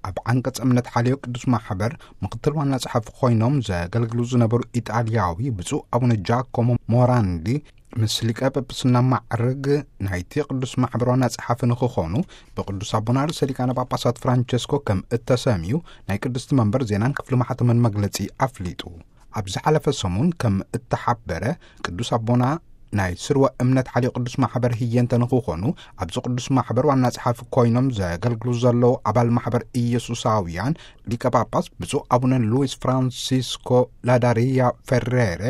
ኣብ ዓንቀጸ እምነት ሓልዮ ቅዱስ ማሕበር ምክትል ዋና ጸሓፊ ኮይኖም ዘገልግሉ ዝነበሩ ኢጣልያዊ ብፁዕ ኣቡነ ጃኮሞ ሞራንዲ፣ ምስ ሊቀ ጳጳስና ማዕርግ ናይቲ ቅዱስ ማሕበር ዋና ጸሓፊ ንክኾኑ ብቅዱስ ኣቦና ርእሰ ሊቃነ ጳጳሳት ፍራንቸስኮ ከም እተሰምዩ ናይ ቅድስቲ መንበር ዜናን ክፍሊ ማሕተምን መግለጺ ኣፍሊጡ። ኣብ ዝሓለፈ ሰሙን ከም እተሓበረ፣ ቅዱስ ኣቦና ናይ ስርወ እምነት ሓልዮ ቅዱስ ማሕበር ህየንተ ንክኾኑ ኣብዚ ቅዱስ ማሕበር ዋና ጸሓፊ ኮይኖም ዘገልግሉ ዘለዉ ኣባል ማሕበር ኢየሱሳውያን ሊቀ ጳጳስ ብፁዕ ኣቡነ ሉዊስ ፍራንሲስኮ ላዳሪያ ፌሬሬ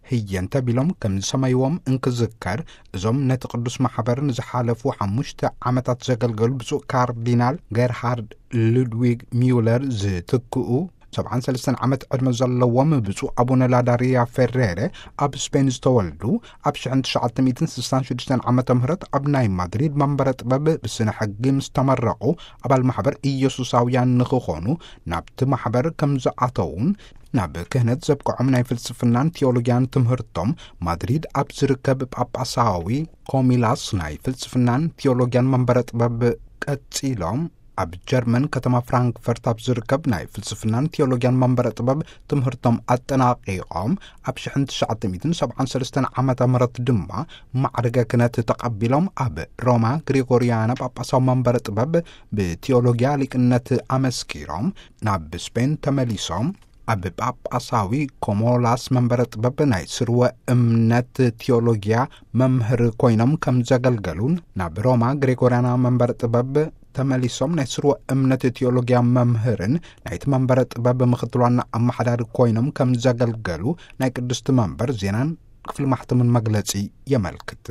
ህየንተ ቢሎም ከም ዝሰመይዎም እንክዝከር፣ እዞም ነቲ ቅዱስ ማሕበር ንዝሓለፉ ሓሙሽተ ዓመታት ዘገልገሉ ብፁዕ ካርዲናል ጌርሃርድ ሉድዊግ ሚውለር ዝትክኡ፣ ሰብዓን ሰለስተን ዓመት ዕድመ ዘለዎም ብፁዕ ኣቡነ ላዳሪያ ፌሬሬ ኣብ ስፔን ዝተወልዱ፣ ኣብ ሽሕን ትሽዓተ ሚእትን ስሳን ሽዱሽተን ዓመተ ምህረት ኣብ ናይ ማድሪድ መንበረ ጥበብ ብስነ ሕጊ ምስ ተመረቑ ኣባል ማሕበር ኢየሱሳውያን ንክኾኑ ናብቲ ማሕበር ከም ዝኣተውን፣ ናብ ክህነት ዘብቅዖም ናይ ፍልስፍናን ቴዎሎጊያን ትምህርቶም ማድሪድ ኣብ ዝርከብ ጳጳሳዊ ኮሚላስ ናይ ፍልስፍናን ቴዎሎጊያን መንበረ ጥበብ ቀጺሎም፣ ኣብ ጀርመን ከተማ ፍራንክፈርት ኣብ ዝርከብ ናይ ፍልስፍናን ቴዎሎጊያን መንበረ ጥበብ ትምህርቶም ኣጠናቒቖም፣ ኣብ ሽሕን ትሽዓተ ሚእትን ሰብዓን ሰለስተን ዓመተ ምህረት ድማ ማዕርገ ክህነት ተቐቢሎም፣ ኣብ ሮማ ግሪጎሪያና ጳጳሳዊ መንበረ ጥበብ ብቴዎሎጊያ ሊቅነት ኣመስኪሮም ናብ ስፔን ተመሊሶም፣ ኣብ ጳጳሳዊ ኮሞላስ መንበረ ጥበብ ናይ ስርወ እምነት ቴዎሎጊያ መምህር ኮይኖም ከም ዘገልገሉን፣ ናብ ሮማ ግሬጎርያና መንበረ ጥበብ ተመሊሶም ናይ ስርወ እምነት ቴዎሎጊያ መምህርን ናይቲ መንበረ ጥበብ ምኽትል ዋና ኣመሓዳሪ ኮይኖም ከም ዘገልገሉ ናይ ቅድስቲ መንበር ዜናን ክፍሊ ማሕተምን መግለጺ የመልክት።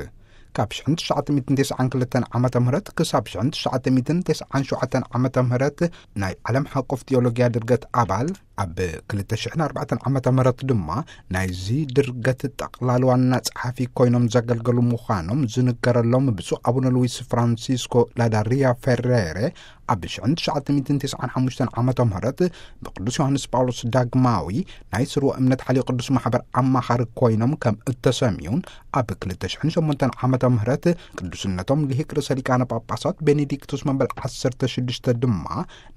ካብ ሽሕን ትሽዓተ ሚእትን ተስዓን ክልተን ዓመተ ምህረት ክሳብ ሽሕን ትሽዓተ ሚእትን ተስዓን ሸውዓተን ዓመተ ምህረት ናይ ዓለም ሓቆፍ ቴዎሎጊያ ድርገት ኣባል፣ ኣብ ክልተ ሽሕን ኣርባዕተን ዓመተ ምህረት ድማ ናይዚ ድርገት ጠቕላል ዋና ጸሓፊ ኮይኖም ዘገልገሉ ምዃኖም ዝንገረሎም ብፁዕ ኣቡነ ሉዊስ ፍራንሲስኮ ላዳሪያ ፌሬሬ፣ ኣብ ሽሕን ትሽዓተ ሚእትን ተስዓን ሓሙሽተን ዓመተ ምህረት ብቅዱስ ዮሃንስ ጳውሎስ ዳግማዊ ናይ ስርወ እምነት ሓልዮ ቅዱስ ማሕበር ኣማኻሪ ኮይኖም ከም እተሰምዩን፣ ኣብ ክልተ ሽሕን ሸሞንተን ዓመተ ምህረት ቅዱስነቶም ልሂቅ ርእሰ ሊቃነ ጳጳሳት ቤኔዲክቱስ መበል ዓሰርተ ሽዱሽተ ድማ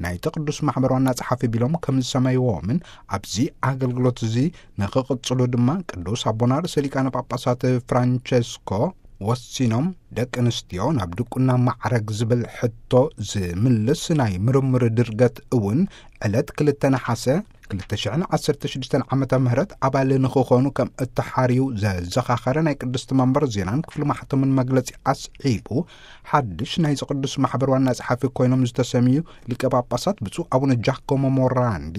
ናይቲ ቅዱስ ማሕበር ዋና ጸሓፊ ቢሎም ከም ዝሰመይዎምን፣ ኣብዚ ኣገልግሎት እዚ ንኽቕጽሉ ድማ ቅዱስ ኣቦና ርእሰ ሊቃነ ጳጳሳት ፍራንቸስኮ ወሲኖም፣ ደቂ ኣንስትዮ ናብ ድቁና ማዕረግ ዝብል ሕቶ ዝምልስ ናይ ምርምር ድርገት እውን ዕለት ክልተ ነሓሰ ክልተ ሽሕን ዓሰርተ ሽዱሽተን ዓመተ ምህረት ኣባል ንኽኾኑ ከም እተሓርዩ ዘዘኻኸረ ናይ ቅድስቲ መንበር ዜናን ክፍሊ ማሕተምን መግለጺ ኣስዒቡ፣ ሓድሽ ናይዚ ቅዱስ ማሕበር ዋና ጸሓፊ ኮይኖም ዝተሰምዩ ሊቀ ጳጳሳት ብፁዕ ኣቡነ ጃኮሞ ሞራንዲ፣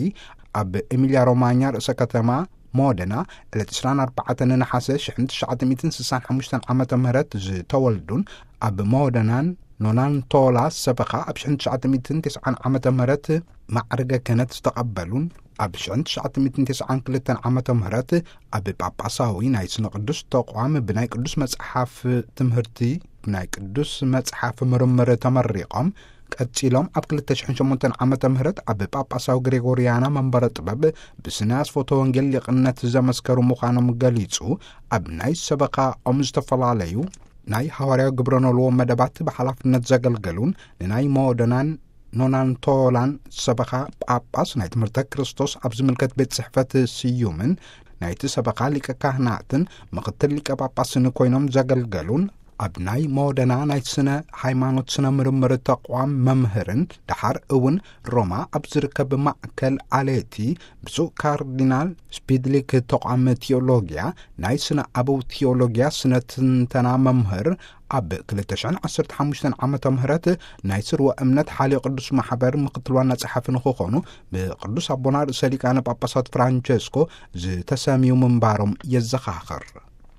ኣብ ኤሚልያ ሮማኛ ርእሰ ከተማ ሞደና፣ ዕለት ዕስራን ኣርባዕተን ነሓሰ ሽሕን ትሽዓተ ሚእትን ስሳን ሓሙሽተን ዓመተ ምህረት ዝተወልዱን፣ ኣብ ሞደናን ኖናንቶላ ሰበኻ ኣብ ሽሕን ትሽዓተ ሚእትን ተስዓን ዓመተ ምህረት ማዕርገ ክህነት ዝተቐበሉን፣ ኣብ ሽሕን ትሽዓተ ሚእትን ተስዓን ክልተን ዓመተ ምህረት ኣብ ጳጳሳዊ ናይ ስነ ቅዱስ ተቋም ብናይ ቅዱስ መጽሓፍ ትምህርቲ፣ ብናይ ቅዱስ መጽሓፍ ምርምር ተመሪቖም፣ ቀጺሎም ኣብ ክልተ ሽሕን ሸሞንተን ዓመተ ምህረት ኣብ ጳጳሳዊ ግሬጎርያና መንበረ ጥበብ ብስነ ኣስፎቶ ወንጌል ሊቕነት ዘመስከሩ ምዃኖም ገሊጹ፣ ኣብ ናይ ሰበኻኦም ዝተፈላለዩ ናይ ሃዋርያዊ ግብረ ኖልዎ መደባት ብሓላፍነት ዘገልገሉን፣ ንናይ ሞደናን ኖናንቶላን ሰበኻ ጳጳስ ናይ ትምህርተ ክርስቶስ ኣብ ዝምልከት ቤት ጽሕፈት ስዩምን ናይቲ ሰበኻ ሊቀ ካህናትን ምኽትል ሊቀ ጳጳስን ኮይኖም ዘገልገሉን፣ ኣብ ናይ ሞደና ናይ ስነ ሃይማኖት ስነ ምርምር ተቋም መምህርን፣ ደሓር እውን ሮማ ኣብ ዝርከብ ማእከል ኣሌቲ ብፁዕ ካርዲናል ስፒድሊክ ተቋም ቴዎሎጊያ ናይ ስነ ኣበው ቴዎሎጊያ ስነ ትንተና መምህር፣ ኣብ ክልተ ሽሕን ዓሰርተ ሓሙሽተን ዓመተ ምህረት ናይ ስርወ እምነት ሓልዮ ቅዱስ ማሕበር ምኽትል ዋና ጸሓፊ ንክኾኑ ብቅዱስ ኣቦና ርእሰ ሊቃነ ጳጳሳት ፍራንቸስኮ ዝተሰምዩ ምንባሮም የዘኻኽር።